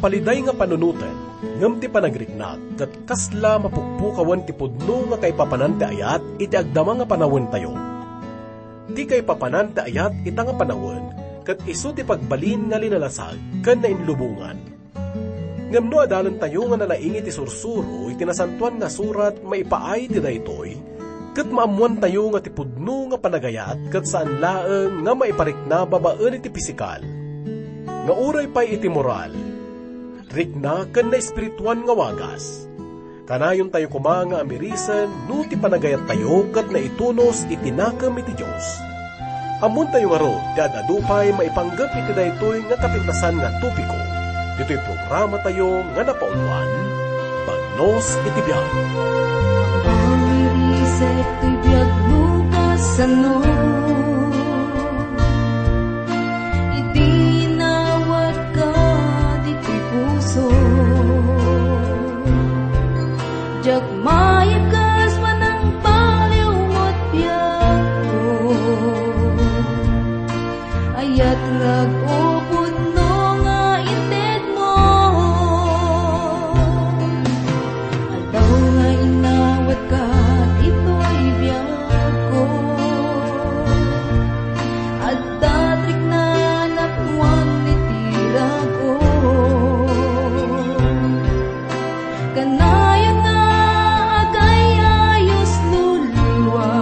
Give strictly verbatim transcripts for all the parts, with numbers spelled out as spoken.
Paliday nga panunoten, ngem ti panagriknak ket kasla mapukpukawen ti pudno nga kaipapanan ti ayat iti agdama nga panawentayo. Ti kaipapanan ti ayat ita nga panawen ket isu ti pagbalin nga linalasag ken nainlubongan. Ngem no adalentayo nga nalaing iti sursuro iti Nasantoan nga Surat maipaay ti daytoy, ket maammoantayo nga ti pudno nga panagayat ket saan laeng nga maiparikna babaen iti pisikal, nga uray pay iti moral, rikna ken naespirituan nga wagas. Kanayontayo koma nga amirisen no ti panagayattayo ket naitunos iti nakem iti Dios. Ammoentayo ngarud ti ad-adu pay maipanggep iti daytoy nga kapintasan nga topiko ditoy programatayo nga napauluan, Bagnos iti Biag. Amirisek toy biag no kasano, idi nawatka ditoy puso. Diak maikes panangbaliw met biagko. Ayat rag-o pudno nga intedmo. Aldaw nga inawatka ditoy biagko. Adda ti riknana ken iti rag-o. Kanayon nga agay-ayos luluwa.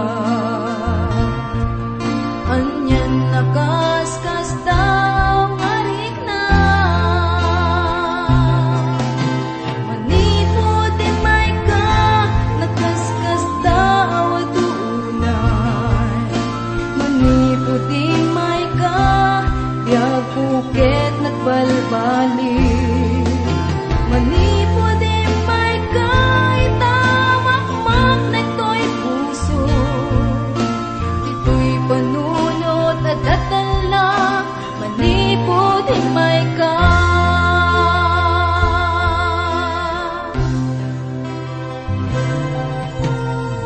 Anian a kaskasdaaw nga rikna. Manipud immayka, nakaskasdaaw a tunay. Manipud immayka, biagko ket nagbalbaliw. Manipud immayka, ita makmaknek toy puso. Ditoy panunot a datella, manipud immayka.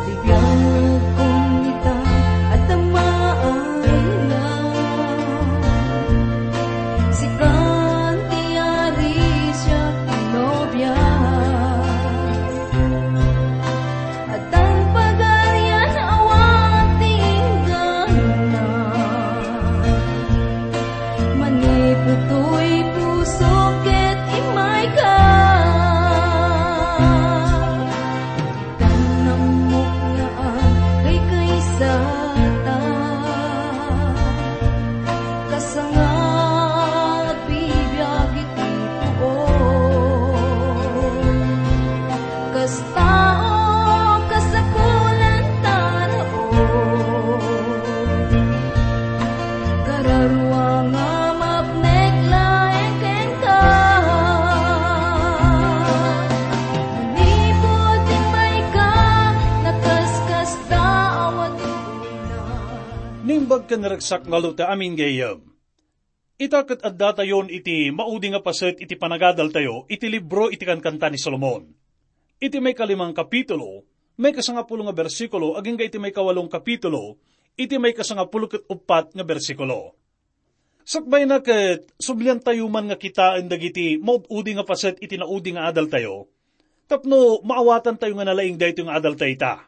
Ti biagko ita, adda maayna. Sikan ti ari, siak ti nobia. Addan pagarian awan ti inggana. Manipud toy puso ket immayka. Ditan nammok nga agkaykaysata. Kasangad bibiag iti puon. Kas tao, kasapulan ta raon. Kararua nga mapnek laeng kenka. Manipud immayka, nakaskasdaaw a tunay. Naimbag ken naragsak nga aldaw ti amin gayyem. Ita ket addatayon iti maudi nga paset iti panagadaltayo iti libro iti Kankanta ni Solomon. Iti maikalimang kapitulo, maikasangapulo nga bersikulo, agingga iti maikawalong kapitulo, iti maikasangapulo ket uppat nga bersikulo. Sakbayna ket subliantayo man nga kitaen dagiti maud-udi nga paset iti naudi nga adaltayo, tapno maawatantayo nga nalaing daytoy nga adalta ita.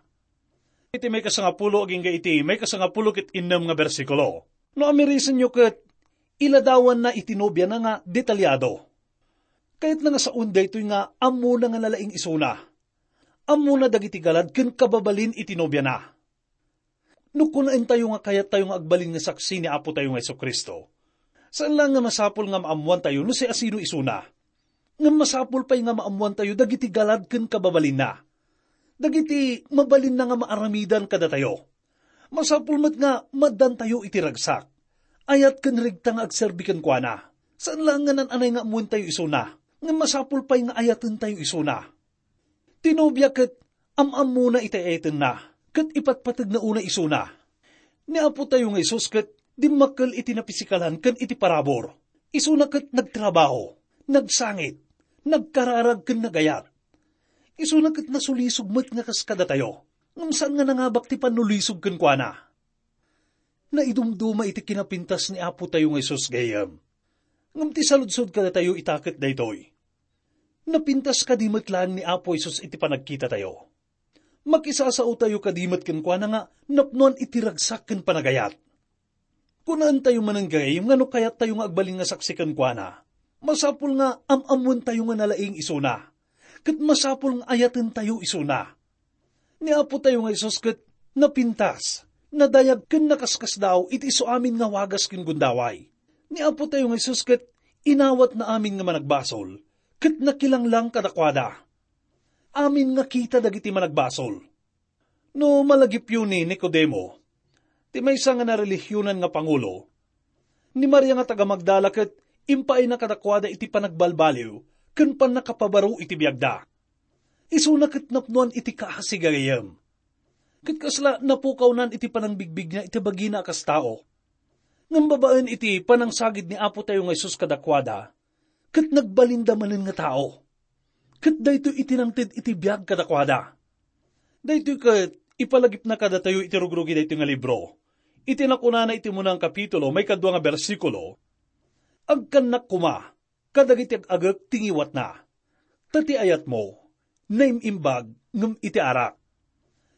Iti maikasangapulo agingga iti maikasangapulo ket innem nga bersikulo. No amirisenyo ket, iladawanna iti nobiana nga detalyado. Kayatna nga saoen daytoy nga ammona nga nalaing isuna. Ammona dagiti galad ken kababalin iti nobiana. No kunaentayo nga kayattayo nga agbalin nga saksi ni Apotayo nga Jesu-Cristo, saan laeng nga masapul nga maammoantayo no siasino isuna. Ngem masapul pay nga maammoantayo dagiti galad ken kababalinna. Dagiti mabalinna nga maaramidan kadatayo. Masapul met nga maaddantayo iti ragsak, ayat ken regta nga agserbi kenkuana. Saan laeng nga naan-anay nga ammoentayo isuna, ngem masapul pay nga ayatentayo isuna. Ti nobia ket am-ammona iti ayatenna, ket ipatpategna unay isuna. Ni Apotayo nga Jesus ket dimmakkel iti napisikalan ken iti parabur. Isuna ket nagtrabaho, nagsangit, nagkararag ken nagayat. Isuna ket nasulisog met nga kas kadatayo, ngem saan nga nangabak ti pannulisog kenkuana. Naidumduma iti kinapintas ni Apotayo nga Jesus gayyem. Ngem ti saludsod kadatayo ita ket daytoy: Napintas kadi met laeng ni Apo Jesus iti panagkitatayo. Makisasaotayo kadi met kenkuana nga napnoan iti ragsak ken panagayat. Kunaentayo manen gayam nga no kayattayo nga agbalin nga saksi kenkuana, masapul nga am-ammoentayo nga nalaing isuna, ket masapul nga ayatentayo isuna. Ni Apotayo nga Jesus ket napintas, nadayag ken nakaskasdaaw iti isu amin nga wagas ken gundaway. Ni Apotayo nga Jesus ket inawatna amin nga managbasol, ket nakilanglang kadakuada. Amin nga kita dagiti managbasol. No malagipyo ni Nicodemo, ti maysa nga narelihionan nga pangulo, ni Maria nga taga-Magdala ket impaayna kadakuada iti panagbalbaliw ken pannakapabaro iti biagda. Isuna ket napnoan iti kaasi gayam. Ket kasla napukawnan iti panangbigbigna iti bagina a kas tao. Ngem babaen iti panangsagid ni Apotayo nga Jesus kadakuada, ket nagbalinda manen nga tao. Ket daytoy iti nangted iti biag kadakuada. Daytoy ket ipalagipna kadatayo iti rugrugi daytoy nga libro. Iti nakunana iti umuna nga kapitulo, maikadua nga bersikulo, "Agkannak koma kadagiti ag-agek ti ngiwatna. Ta ti ayatmo, naim-imbag ngem iti arak."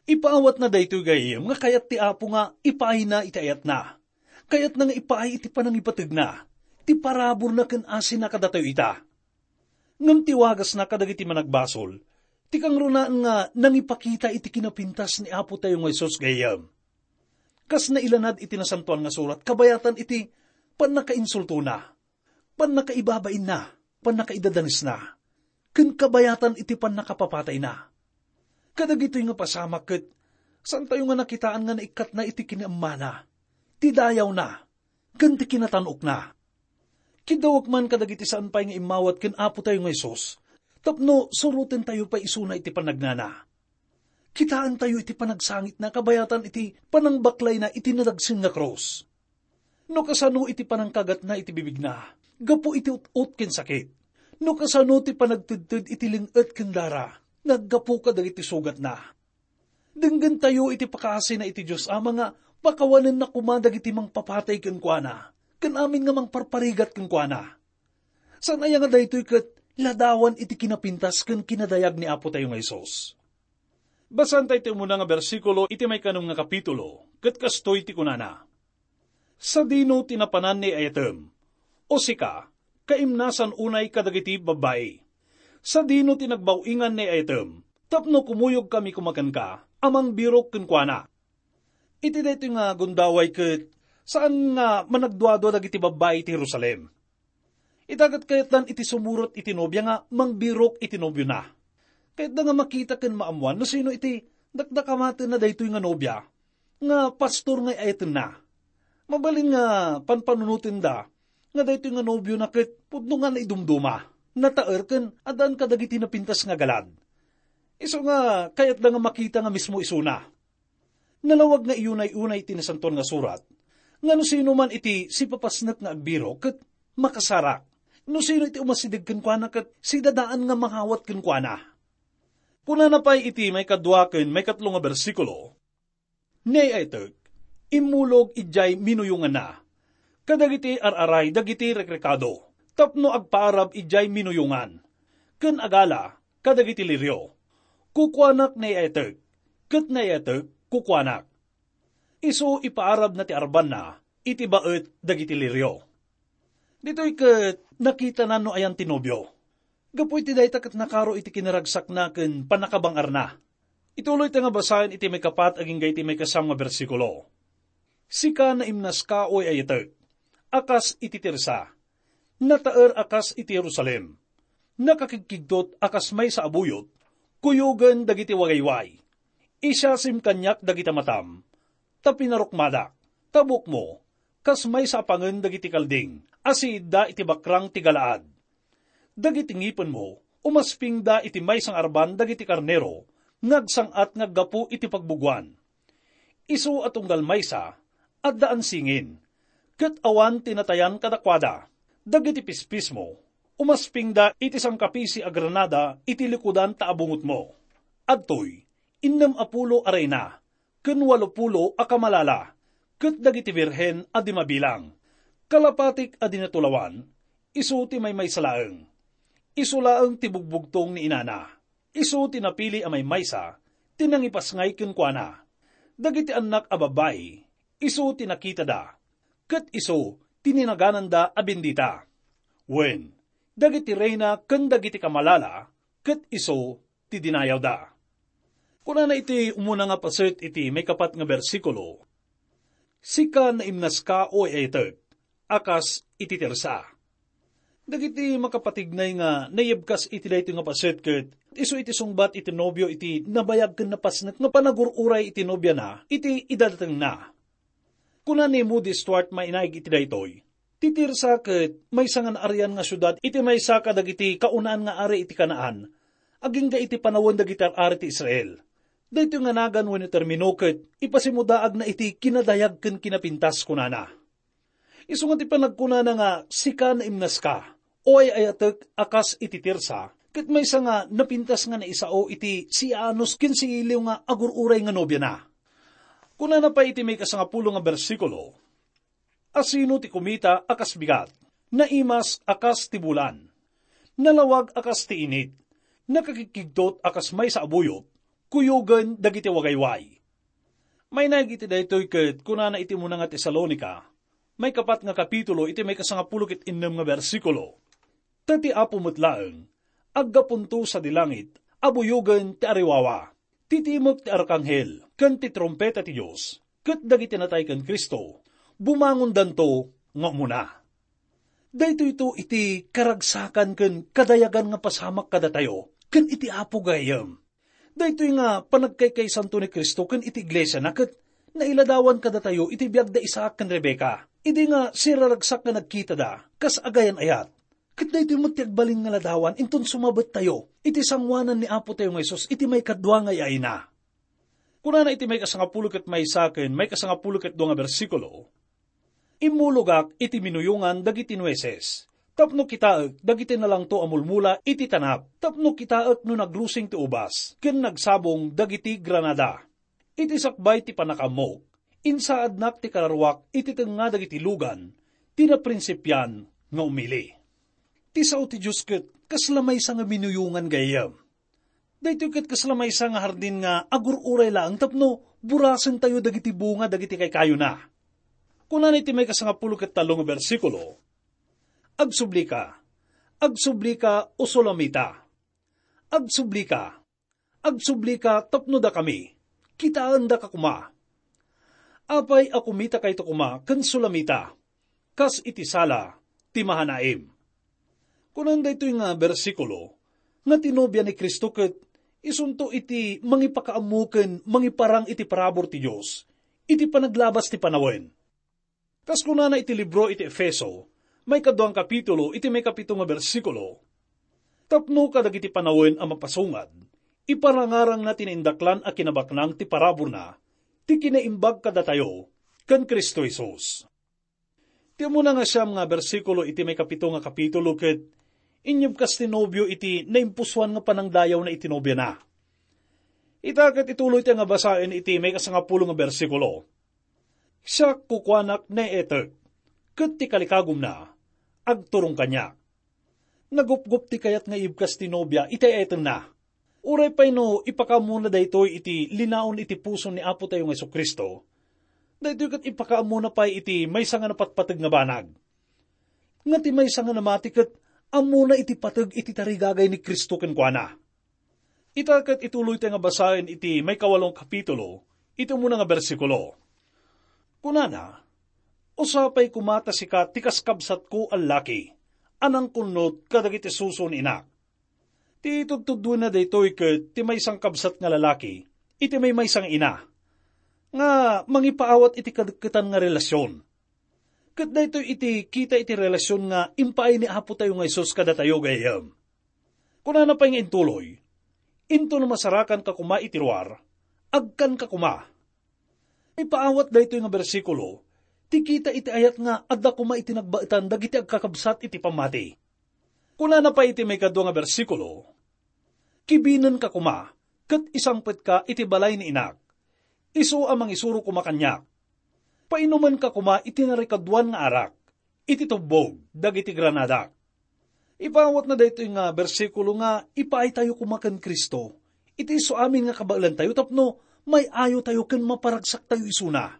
Ipaawatna daytoy gayam nga kayat ti Apo nga ipaayna iti ayatna. Kayatna nga ipaay iti panangipategna, ti paraburna ken asina kadatayo ita. Ngem ti wagasna kadagiti managbasol, ti kangrunaan nga nangipakita iti kinapintas ni Apotayo nga Jesus gayam. Kas nailanad iti Nasantoan nga Surat, kabayatan iti pannakainsultona, pannakaibabainna, pannakaidadanesna, ken kabayatan iti pannakapapatayna. Kadagitoy nga pasamak ket saantayo nga nakitaan nga naikkatna iti kinaemmana, ti dayawna, ken ti kinatan-okna. Kiddawek man kadagiti saan pay nga immawat ken Apotayo nga Jesus tapno surotentayo pay isuna iti panagnana. Kitaentayo iti panagsangitna kabayatan iti panangbaklayna iti nadagsen nga krus. No kasano iti panangkagatna iti bibigna gapu iti ut-ot ken sakit, no kasano ti panagtedted iti ling-et ken dara nga aggapu kadagiti sugatna. Denggentayo iti pakaasina iti Dios Ama nga pakawanenna koma dagiti mangpapatay kenkuana ken amin nga mangparparigat kenkuana. Saan aya nga daytoy ket ladawan iti kinapintas ken kinadayag ni Apotayo nga Jesus? Basaentayo ti umuna nga bersikulo iti maikanem nga kapitulo, ket kastoy ti kunana, "Sadino ti napanan ni ayatem? O sika, kaimnasan unay kadagiti babbai. Sadino ti nagbaw-ingan ni ayatem tapno kumuyogkami koma kenka a mangbirok kenkuana?" Iti daytoy nga gundaway ket saan nga managduadua dagiti babbai iti Jerusalem. Ita ket kayatdan iti sumurot iti nobia nga mangbirok iti nobiona. Kayatda nga makita ken maammoan no sino iti dakdakamatenna daytoy nga nobia nga pastor nga ay-ayatenna. Mabalin nga panpanunotenda nga daytoy nga nobiona ket pudno nga naidumduma, nataer ken addaan kadagiti napintas nga galad. Isu nga kayatda nga makita nga mismo isuna. Nalawag nga iyunay-unay iti Nasantoan nga Surat nga no sino man iti sipapasnek nga agbirok ket makasarak. No sino iti umasideg kenkuana ket sidadaan nga mangawat kenkuana. Kunana pay iti maikadua ken maikatlo nga bersikulo, "Ni ay-ayatek, immulog idiay minuyonganna kadagiti ar-aray dagiti rekrekado tapno agpaarab idiay minuyongan, ken agala kadagiti lirio. Kukuanak ni ay-ayatek, ket ni ay-ayatek kukuanak." Isu ipaarabna ti arbanna iti baet dagiti lirio. Ditoy ket nakitana no ayan ti nobio. Gapu iti dayta ket nakaro iti kinaragsakna ken pannakabang-arna. Ituloyta nga basaen iti maikapat agingga iti maikasam nga bersikulo. "Sika naimnaska, o ay-ayatek, a kas iti Tirsa, nataer a kas iti Jerusalem, nakakigkigtot a kas maysa a buyot, kuyogen dagiti wagayway. Isiasim kaniak dagiti matam, ta pinarukmadak, ta buokmo, kas maysa a pangen dagiti kalding a siidda iti bakrang ti Galaad. Dagiti ngipenmo, umaspingda iti maysa nga arban dagiti karnero nga agsang-at nga aggapu iti pagbugoan. Isu a tunggal maysa, addaan singin, ket awan ti natayan kadakuada. Dagiti pispismo, umaspingda iti sangkapisi a granada iti likudan ta abungotmo. Adtoy, innem a pulo a reyna, ken walo pulo a kamalala, ket dagiti birhen a di mabilang. Kalapatik a di natulawan, isu ti maymaysa laeng. Isu laeng ti bugbugtong ni inana. Isu ti napili a maymaysa, ti nangipasngay kenkuana. Dagiti annak a babbai, isu ti nakitada, ket isu ti ninagananda a bendita. Wen, dagiti reyna ken dagiti kamalala, ket isu ti dinayawda. Kunana iti umuna nga paset iti maikapat nga bersikulo, "Sika naimnaska, o ay-ayatek, a kas iti Tirsa." Dagiti makapatignay nga naibkas iti daytoy nga paset ket isu iti sungbat iti nobio iti nabayag ken napasnek nga panagur-uray iti nobiana iti idadatengna. Kuna ni Moody Stuart mainaig iti daytoy, "Ti Tirsa ket maysa nga naarian nga siudad iti maysa kadagiti kaunaan nga ari iti Canaan, agingga iti panawen dagiti ar-ari ti Israel. Daytoy nga nagan wenno termino ket ipasimudaagna iti kinadayag ken kinapintas," kunana. Isu nga ti panagkunana nga, "Sika naimnaska, o ay-ayatek a kas iti Tirsa," ket maysa nga napintas nga naisao iti siaanus ken siiliw nga agur-uray nga nobiana. Kunana pay iti maikasangapulo nga bersikulo, "Asino ti kumita a kas bigat, naimas a kas ti bulan, nalawag a kas ti init, nakakigkigtot a kas maysa a buyot, kuyogen dagiti wagayway." Mainaig iti daytoy ket kunana iti umuna nga Tesalonica, maikapat nga kapitulo iti maikasangapulo ket innem nga bersikulo, "Ta ti Apo met laeng, aggapunto sadi langit a buyogen ti ariwawa, ti timek ti arkanghel ken ti trumpeta ti Dios, ket dagiti natay ken Cristo, bumangondanto nga umuna." Daytoyto iti karagsakan ken kadayagan nga pasamak kadatayo ken iti Apo gayyem. Daytoy nga panagkaykaysanto ni Cristo ken iti iglesiana ket nailadawan kadatayo iti biag da Isaac ken Rebecca, idi nga siraragsak nga nagkitada kas agayan-ayat. Ket daytoy met ti agbalin nga ladawan inton sumabettayo iti sangoanan ni Apo tayo nga Jesus iti maikadua nga ay-ayna. Kunana iti maikasangapulo ket maysa ken maikasangapulo ket dua nga bersikulo, "Immulogak iti minuyongan dagiti nueces, tapno kitaek dagiti nalangto a mulmula iti tanap, tapno kitaek no nagrusing ti ubas ken nagsabong dagiti granada. Iti sakbay ti pannakaammok, insaadnak ti kararuak iti tengnga dagiti lugan ti naprinsipian nga umili." Ti sao ti Dios ket kasla maysa nga minuyongan gayyem. Daytoy ket kasla maysa nga hardin nga agur-uray laeng tapno burasentayo dagiti bunga dagiti kaykayona. Kunana iti maikasangapulo ket tallo nga bersikulo, "Agsublika, agsublika, o Sulamita. Agsublika, agsublika tapno dakami, kitaendaka koma. Apay a kumitakayto koma ken Sulamita, kas iti sala ti Mahanaim?" Kunan daytoy nga bersikulo nga ti nobia ni Cristo ket isunto iti mangipakaammo ken mangiparang iti parabur ti Dios iti panaglabas ti panawen. Kas kunana iti libro iti Efeso, maikadua nga kapitulo, iti maikapito nga bersikulo, "Tapno kadagiti panawen a mapasungad, iparangarangna ti naindaklan a kinabaknang ti paraburna, ti kinaimbag kadatayo ken Cristo Jesus." Ti umuna nga siam nga bersikulo iti maikapito nga kapitulo ket inyebkas ti nobio iti naimpusoan nga panangdayawna iti nobiana. Ita ket ituloy ti nga basaen iti maikasangapulo nga bersikulo, "Siak kukuanak naetek, ket ti kalikagumna agturong kaniak." Nagupgop ti kayat nga ibkas ti nobia iti ay-ayatenna. Uray pay no ipakaammona daytoy iti linaon iti puso ni Apo tayo nga Jesu-Cristo, daytoy ket ipakaammona pay iti maysa nga napatpateg nga banag. Nga ti maysa nga namati ket ammona iti pateg iti tarigagay ni Cristo kenkuana. Ita ket ituloy ti nga basaen iti maikawalo nga kapitulo, iti umuna nga bersikulo. Kunana, "Usapay koma ta sika ti kaskabsatko a laki, a nangkunnot kadagiti suso ni inak." Ti itudtuduenna daytoy ket ti maysa nga kabsat nga lalaki iti maymaysa nga ina nga mangipaawat iti kadekketan nga relasion. Ket daytoy iti kita iti relasion nga impaay ni Apo tayo nga Jesus kadatayo gayyem. Kunana pay nga intuloy, "Intono masarakanka koma iti ruar, agkanka koma." Ipaawat daytoy nga bersikulo ti kita iti ayat nga adda koma iti nagbaetan dagiti agkakabsat iti pammati. Kunana pay iti maikadua nga bersikulo, "Kibinenka koma ket isangpetka iti balay ni inak. Isu a mangisuro koma kaniak. Painumenka koma iti narikaduan nga arak iti tubbog dagiti granadak." Ipaawatna daytoy nga bersikulo nga ipaaytayo koma ken Cristo iti isu amin nga kabaelantayo tapno may-ayotayo ken maparagsaktayo isuna.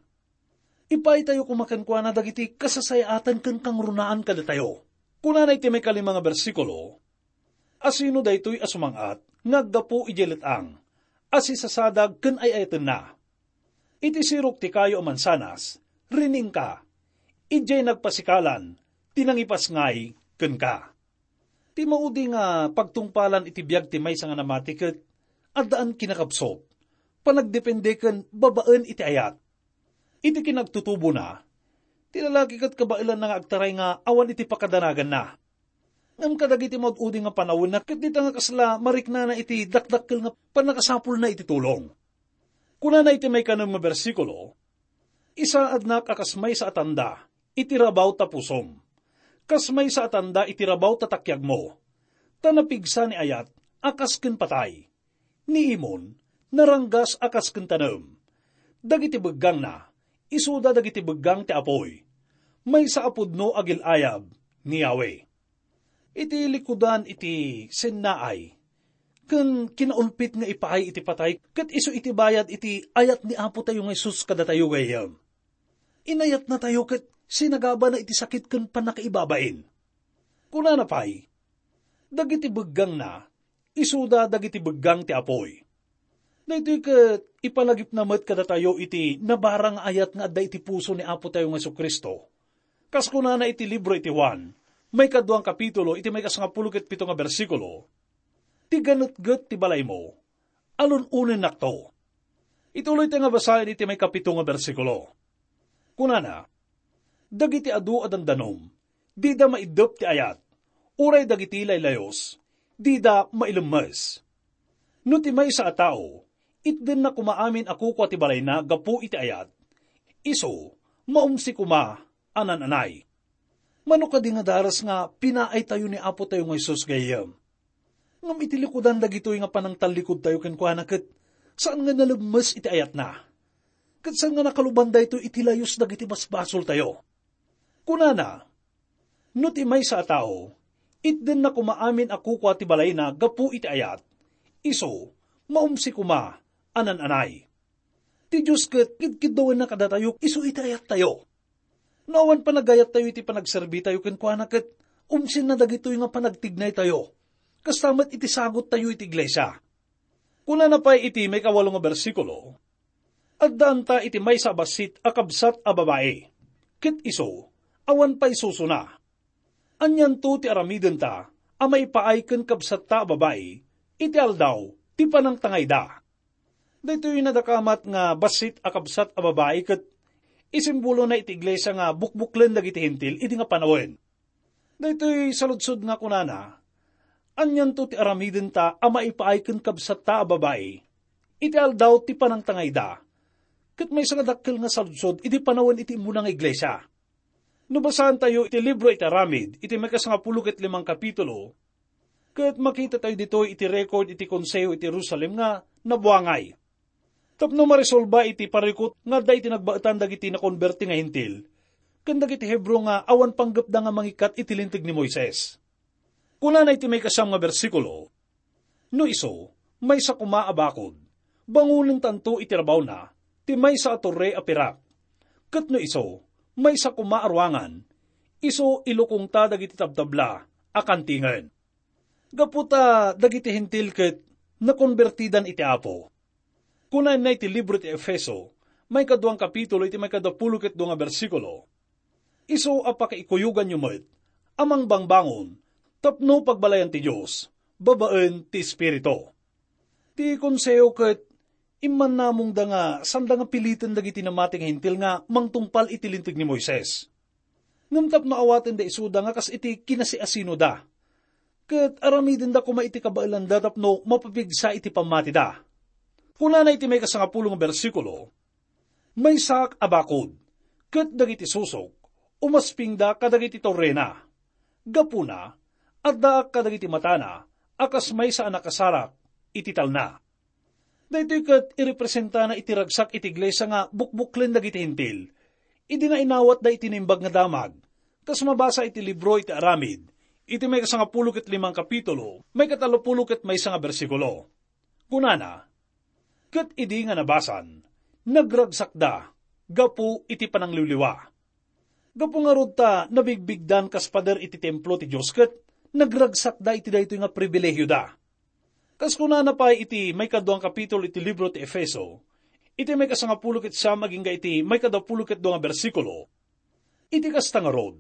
Ipaaytayo koma kenkuana dagiti kasasayaatan ken kangrunaan kadatayo. Kunana iti maikalima nga bersikulo, "Asino daytoy a sumang-at nga aggapu idiay let-ang a sisasadag ken ay-ayatenna? Iti sirok ti kayo a mansanas, riingka, idiay nagpasikalan ti nangipasngay kenka." Ti maudi nga pagtungpalan iti biag ti maysa nga namati ket addaan kinakabsut, panagdepende ken babaen iti ayat. Iti kinagtutubona, ti lalaki ket kabaelanna nga agtaray nga awan iti pakadanaganna. Ngem kadagiti maud-udi nga panawenna ket dita nga kasla mariknana iti dakdakkel nga pannakasapulna iti tulong. Kunana iti maikanem nga bersikulo, "Isaadnak a kas maysa a tanda iti rabaw ta pusom, kas maysa a tanda iti rabaw ta takiagmo, ta napigsa ni ayat a kas ken patay, ni imon, naranggas a kas ken tanem. Dagiti beggangna, isuda dagiti beggang ti apuy, maysa a pudno a gil-ayab ni Yahweh." Iti likudan iti sennaay ken kinaulpit nga ipaay iti patay ket isu iti bayad iti ayat ni Apotayo nga Jesus kadatayo gayyem. Inayatnatayo ket sinagabana iti sakit ken pannakaibabain. Kunana pay, "Dagiti beggangna, isuda dagiti beggang ti apuy." Daytoy ket ipalagipna met kadatayo iti nabarang nga ayat nga adda iti puso ni Apotayo nga Jesu-Cristo. Kas kunana iti libro iti Juan, maikaduang kapitulo, iti maikasangapulo ket pito nga bersikulo, "Ti ganetget ti balaymo, alun-onennakto." Ituloy ti nga basaen iti maikapito nga bersikulo. Kunana, "Dagiti adu a dandanom, dida maiddep ti ayat, uray dagiti laylayus, dida mailemmes. No ti maysa a tao, itdenna koma amin a kukua ti balayna gapu iti ayat, isu, maumsi koma a nan-anay." Mano kadi nga daras nga pinaaytayo ni Apotayo nga Jesus gayyem? Ngem iti likudan dagitoy nga panangtallikudtayo kenkuana ket saan nga nalemmes iti ayatna. Ket saan nga nakaluban daytoy iti layus dagiti basbasoltayo. Kunana, "No ti maysa a tao, itdenna koma amin a kukua ti balayna gapu iti ayat, isu, maumsi koma a nan-anay." Ti Dios ket kidkiddawenna kadatayo isu iti ayattayo. No awan panagayattayo iti panagserbitayo kenkuana ket umsinna dagitoy nga panagtignaytayo, kasta met iti sagottayo iti iglesia. Kunana pay iti maikawalo nga bersikulo, "Addaanta iti maysa a bassit a kabsat a babai, ket isu, awan pay susona. Anianto ti aramidenta a maipaay ken kabsatta a babai iti aldaw ti panangtangayda?" Daytoy nadakamat nga bassit a kabsat a babai ket isimbolona iti iglesia nga bukbuklen dagiti Hentil idi nga panawen. Daytoy saludsod nga kunana, "Anianto ti aramidenta a maipaay ken kabsatta a babai iti aldaw ti panangtangayda?" Ket maysa nga dakkel nga saludsod idi panawen iti immuna nga iglesia. No basaantayo iti libro iti Aramid, iti maikasangapulo ket limang kapitulo, ket makitatayo ditoy iti record iti Konseho iti Jerusalem nga nabuangay tapno maresolba iti parikut nga adda iti nagbaetan dagiti nakonberti nga Hentil ken dagiti Hebreo nga awan panggepda nga mangikkat iti Linteg ni Moises. Kunana iti maikasam nga bersikulo, "No isu, maysa koma a bakod, bangonentanto iti rabawna ti maysa a torre a pirak. Ket no isu, maysa koma a ruangan, isu ilukongta dagiti tabtabla a kantingen." Gapu ta dagiti Hentil ket nakonbertidan iti Apo. Kunana iti libro ti Efeso, maikaduang kapitulo iti maikadapulo ket dua nga bersikulo, "Isu a pakaikuyoganyo met a mangbangbangon tapno pagbalayan ti Dios babaen ti Espiritu." Ti Konseho ket immannamongda nga sanda nga piliten dagiti namati nga Hentil nga mangtungpal iti Linteg ni Moises. Ngem tapno awatenda isuda nga kas iti kinasiasinoda, ket aramidenda koma iti kabaelanda tapno mapapigsa iti pammatida. Kunana iti maikasangapulo nga bersikulo, "Maysaak a bakod, ket dagiti susok, umaspingda kadagiti torrena. Gapuna, addaak kadagiti matana a kas maysa a nakasarak iti talna." Daytoy ket irepresentana iti ragsak iti iglesia nga bukbuklen dagiti Hentil, idi nga inawatda iti Naimbag nga Damag, kas mabasa iti libro iti Aramid, Iti maikasangapulo ket limang kapitulo, maikatallopulo ket maysa nga bersikulo. Kunana, "Ket idi nga nabasan, nagragsakda gapu iti panangliwliwa." Gapu ngarud ta nabigbigdan kas pader iti templo ti Dios ket nagragsakda iti daytoy nga pribilehioda. Kas kunana pay iti maikadua nga kapitulo iti libro ti Efeso, iti maikasangapulo ket siam agingga iti maikadapulo ket dua nga bersikulo, "Iti kasta ngarud,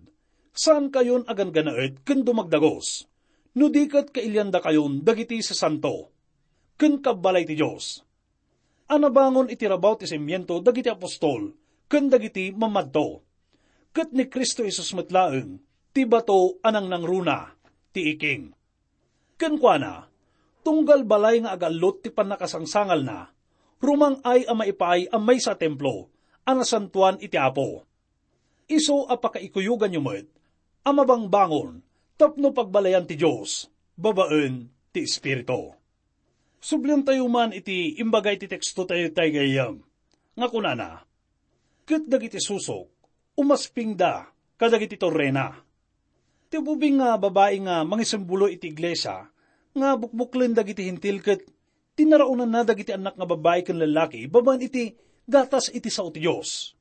saankayon a ganggannaet ken dumagdagos, no di ket kailiandakayon dagiti sasanto ken kabbalay ti Dios, a nabangon iti rabaw ti simiento dagiti apostol ken dagiti mamadto, ket ni Cristo Jesus met laeng ti bato a nangnangruna ti iking." Kenkuana, tunggal balay nga agallot ti pannakasangsangalna, rumang-ay a maipaay a maysa a templo a nasantoan iti Apo. Isu a pakaikuyoganyo met a mabangbangon tapno pagbalayan ti Dios babaen ti Espiritu. Subliantayo man iti imbaga iti tekstotayo itay gayyem, nga kunana, "Ket dagiti susok, umaspingda kadagiti torrena." Ti ubing nga babai nga mangisimbolo iti iglesia nga bukbuklen dagiti Hentil ket tinaraonanna dagiti annak nga babai ken lallaki babaen iti gatas iti sao ti Dios.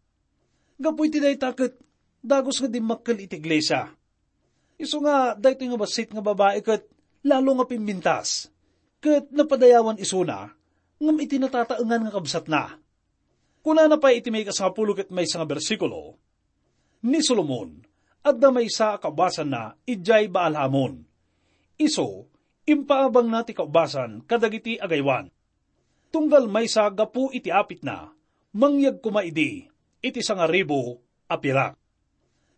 Gapu iti dayta ket dagus nga dimmakkel iti iglesia. Isu nga daytoy nga bassit nga babai ket lalo nga pimbintas, ket napadayawan isuna ngem iti natataengan nga kabsatna. Kunana pay iti maikasangapulo ket maysa nga bersikulo, "Ni Solomon, adda maysa a kaubasanna idiay Baal-Hamon. Isu, impaabangna ti kaubasan kadagiti agaywan. Tunggal maysa gapu iti apitna, mangyeg koma idi iti sangaribu a pirak."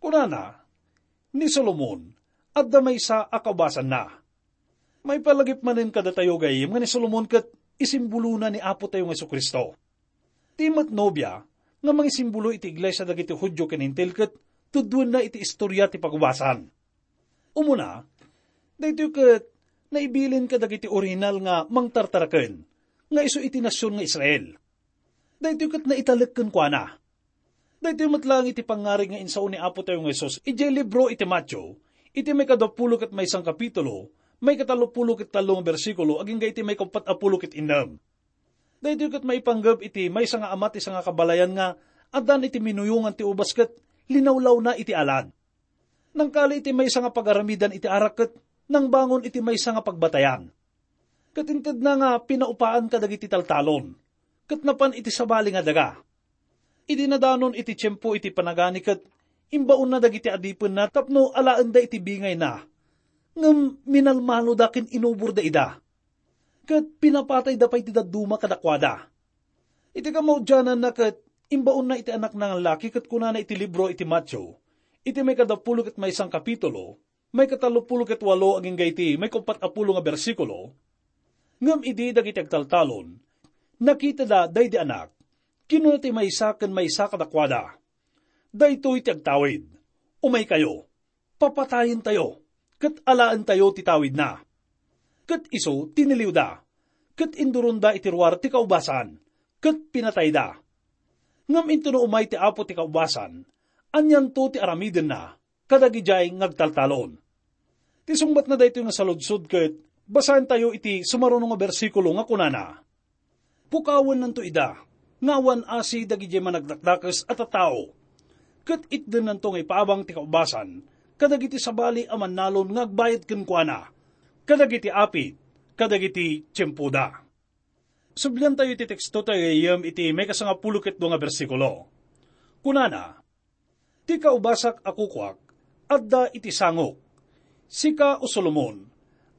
Kunana, "Ni Solomon, adda maysa a kaubasanna." Maipalagip manen kadatayo, gayyem, nga ni Solomon ket isimbolona ni Apo tayo nga Jesu-Cristo. Ti met nobia nga mangisimbolo iti iglesia dagiti Judio ken Hentil ket tudduenna iti istoria ti pagubasan. Umuna, daytoy ket naibilin kadagiti orihinal nga mangtartaraken nga isu iti nasion nga Israel. Daytoy ket naitalek kenkuana. Daytoy met laeng iti pangngarig nga insao ni Apo tayo nga Jesus idiay libro iti Mateo, iti maikadapulo ket maysa nga kapitulo, maikatallopulo ket tallo nga bersikulo, agingga iti maikauppat a pulo ket innem. Daytoy ket maipanggep iti maysa nga ama ti sangakabalayan nga addan iti minuyongan ti ubas ket linawlawna iti alad. Nangkali iti maysa nga pagaramidan iti arak ket nangbangon iti maysa nga pagbatayan. Ket intedna nga pinaupaan kadagiti taltalon, ket napan iti sabali nga daga. Idi nadanon iti tiempo iti panagani ket imbaonna dagiti adipenna tapno alaenda iti bingayna, ngem minalmaloda ken inuborda ida. Ket pinapatayda pay ti dadduma kadakuada. Iti kamaudiananna ket imbaonna iti anakna nga laki ket kunana iti libro iti Mateo, iti maikadapulo ket maysa nga kapitulo, maikatallopulo ket walo agingga iti maikauppat a pulo nga bersikulo, "Ngem idi dagiti agtaltalon, nakitada daydi anak, kinuna ti maysa ken maysa kadakuada, 'Daytoy ti agtawid. Umaykayo, papatayentayo, ket alaentayo ti tawidna.' Ket isu tiniliwda, ket induronda iti ruar ti kaubasan, ket pinatayda. Ngem intono umay ti Apo ti kaubasan, anianto ti aramidenna kadagidiay nga agtaltalon?" Ti sungbatna daytoy nga saludsod ket basaentayo iti sumaruno nga bersikulo nga kunana, "Pukawennanto ida nga awan asi dagidiay managdakdakes a tattao, ket itdennanto nga ipaabang ti kaubasan kadagiti sabali a mannalon nga agbayad kenkuana, kadagiti apit, kadagiti tiempoda." Subliantayo iti teksto tayo gayyem iti maikasangapulo ket dua nga bersikulo. Kunana, "Ti kaubasak a kukuak, adda iti sangok. Sika, O Solomon,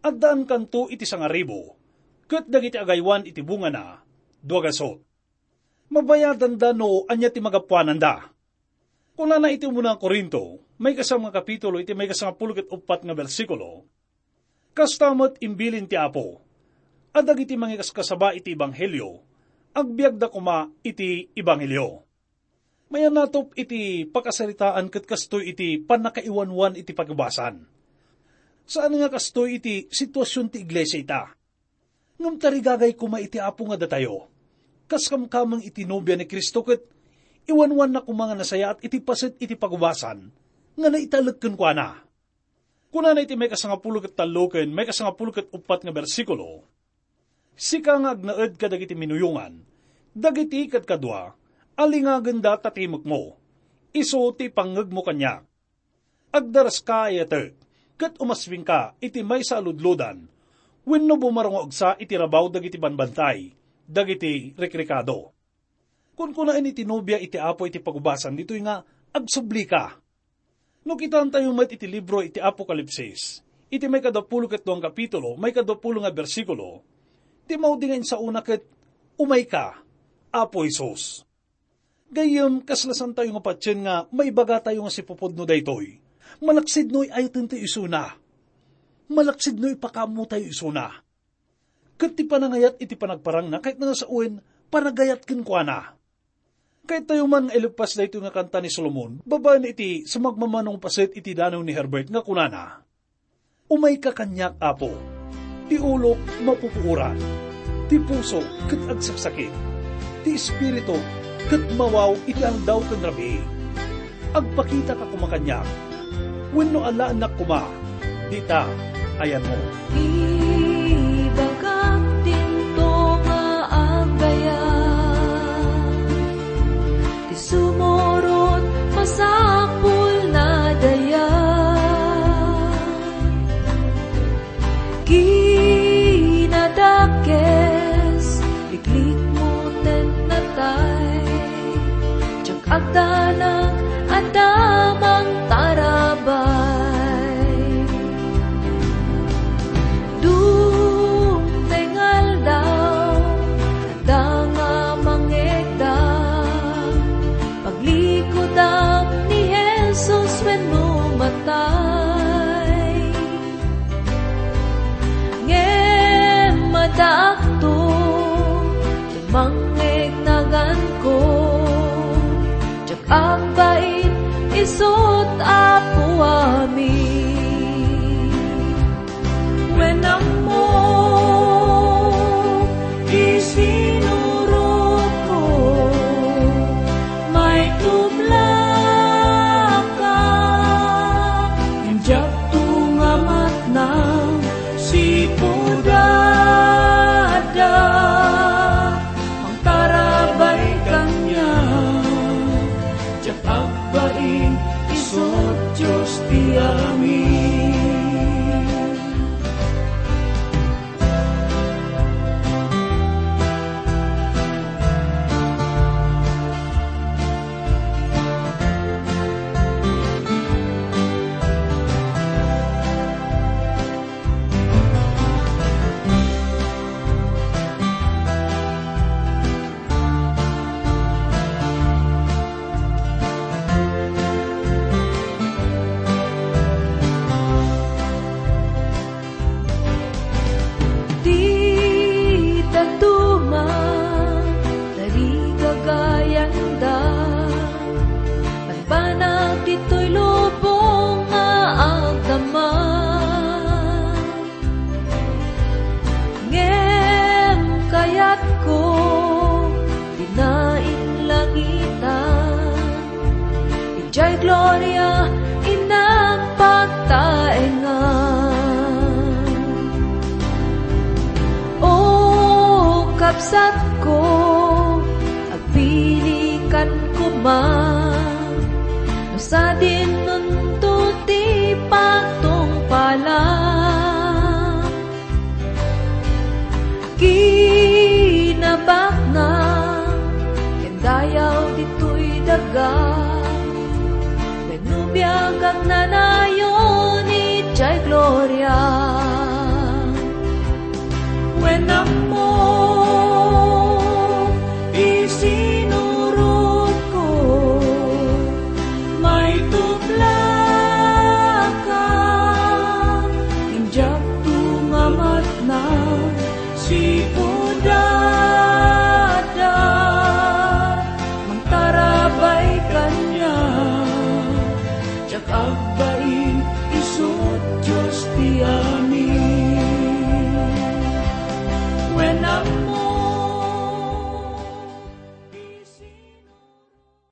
addaankanto iti sangaribu, ket dagiti agaywan iti bungana, dua gasut. Mabayadanda no ania ti magapuananda." Kunana iti umuna a Corinto, maikasam nga kapitulo, iti maikasangapulo ket uppat nga bersikulo, "Kasta met imbilin ti Apo, a dagiti mangikaskasaba iti ebanghelio, agbiagda koma iti ebanghelio." Mayanatop iti pakasaritaan ket kastoy iti pannakaiwanwan iti pagubasan. Saan nga kastoy iti situasion ti iglesia ita. Ngem tarigagay koma iti Apo nga datayo. Kas kamkameng iti nobia ni Cristo ket iwanwanna koma nga nasayaat iti paset iti pagubasan nga naitalek kenkuana. Kunana iti maikasangapulo ket tallo ken maikasangapulo ket uppat nga bersikulo, "Sika nga agnaed kadagiti minuyongan, dagiti kadkadua, alingagenda ta timekmo, isu ti ipangngegmo kaniak. Agdaraska, ayatek, ket umaswingka iti maysa a ludlodan, wenno bumarungagsa iti rabaw dagiti banbantay, dagiti rikrikado." Kunkunaen iti nobia iti Apo iti pagubasan ditoy nga agsublika. No kitaentayo met iti libro iti Apokalipsis, iti maikadapulo ket duang kapitulo, maikadapulo nga bersikulo, ti maudi nga insaona ket, "Umayka, Apo Jesus." Gayyem, kasla saantayo nga patien nga maibagatayo nga sipupudno daytoy. Malaksid no ay-ayatentayo isuna. Malaksid no ipakaammotayo isuna. Ket ti panangayat iti panagparangna, kayatna nga sawen, panagayat kenkuana. Kayat tayo man nga ileppas daytoy nga kanta ni Solomon, babaen iti sumagmamano nga paset iti danaw ni Herbert nga kunana, "Umayka kaniak, Apo. Ti ulok mapupuoran, ti puso ket agsaksakit, ti espiritu ket mawaw iti aldaw ken rabii. Agpakitaka koma kaniak, wenno alaennak koma dita a yanmo." Ibagak dinto nga agayat, ti sumurot masapul na daya. Kinadakes, liklikmo ten natay. Diak agdanag adda mangtarabay. Dumteng aldaw, adda nga mangngegda. Paglikudak ni Jesus wenno matay. Ngem addaakto, ti mangngegnaganko. Diak agbain isut' Apo amin. Wen ammo ti sinurotko, maitublaka. Diak tunga matnang sipud adda mangtarabay kaniak. Diak agbain isut' Dios ti amin. Ti dadduma, tarigagayanda, banbanag ditoy lubong nga agdama. Ngem kayatko, dina inlangitan. Idiay gloria, innak pagtaengan. O kabsatko, agpilikan koma, no sadin nunto ti pagtungpalan. Kinabaknang ken dayaw ditoy daga, wenno biag agnanayon idiay gloria. Wen